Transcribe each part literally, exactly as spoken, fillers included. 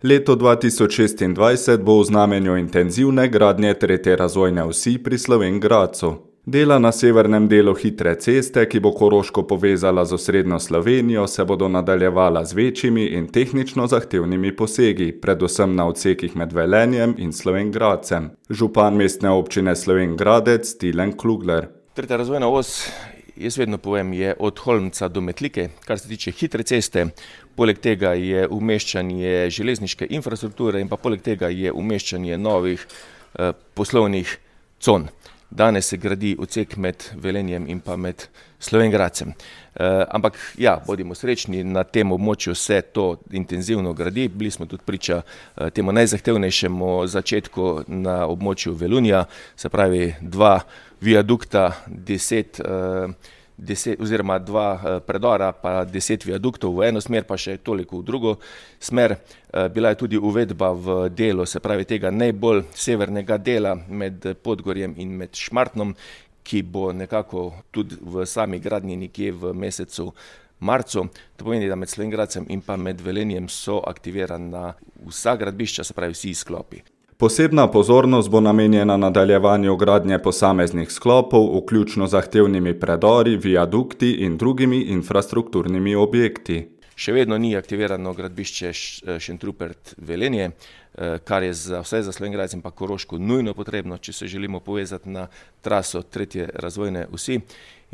Leto dva tisoč šestindvajset bo v znamenju intenzivne gradnje tretje razvojne osi pri Slovenj Gradcu. Dela na severnem delu hitre ceste, ki bo Koroško povezala z osrednjo Slovenijo, se bodo nadaljevala z večjimi in tehnično zahtevnimi posegi, predvsem na odsekih med Velenjem in Slovenj Gradcem. Župan mestne občine Slovenj Gradec Tilen Klugler. Tretja razvojna os, jaz vedno povem, je od Holmca do Metlike, kar se tiče hitre ceste. Poleg tega je umeščanje železniške infrastrukture in pa poleg tega je umeščanje novih eh, poslovnih con. Danes se gradi odsek med Velenjem in pa med Slovenj Gradcem. E, ampak ja, bodimo srečni, na tem območju se to intenzivno gradi. Bili smo tudi priča e, temu najzahtevnejšemu začetku na območju Velunja, se pravi dva viadukta, deset, e, deset oziroma dva predora, pa deset viaduktov v eno smer, pa še toliko v drugo smer. E, bila je tudi uvedba v delo, se pravi tega najbolj severnega dela med Podgorjem in med Šmartnom, ki bo nekako tudi v sami gradnji nekje v mesecu marcu. To pomeni, da med Slovenj Gradcem in pa med Velenjem so aktivirana vsa gradbišča, se pravi vsi sklopi. Posebna pozornost bo namenjena nadaljevanju gradnje posameznih sklopov, vključno zahtevnimi predori, viadukti in drugimi infrastrukturnimi objekti. Še vedno ni aktivirano gradbišče Šentrupert-Velenje, kar je za vse za Slovenj Gradec in pa Koroško nujno potrebno, če se želimo povezati na traso tretje razvojne osi.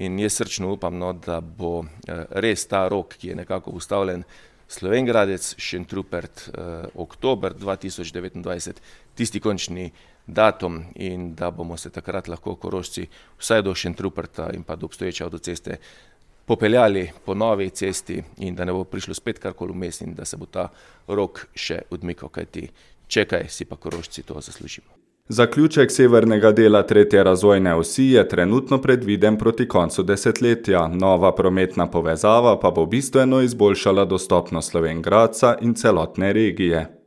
In jaz srčno upam, no, da bo res ta rok, ki je nekako ustavljen, Slovenj Gradec, Šentrupert, eh, oktober dva tisoč devetindvajset, tisti končni datum in da bomo se takrat lahko Korošci vsaj do Šentruperta in pa do obstoječe avtoceste popeljali po novi cesti in da ne bo prišlo spet karkoli vmes in da se bo ta rok še odmikal, kajti čekaj si pa Korošci to zaslužimo. Zaključek severnega dela tretje razvojne osi je trenutno predviden proti koncu desetletja, nova prometna povezava pa bo bistveno izboljšala dostopnost Slovenj Gradca in celotne regije.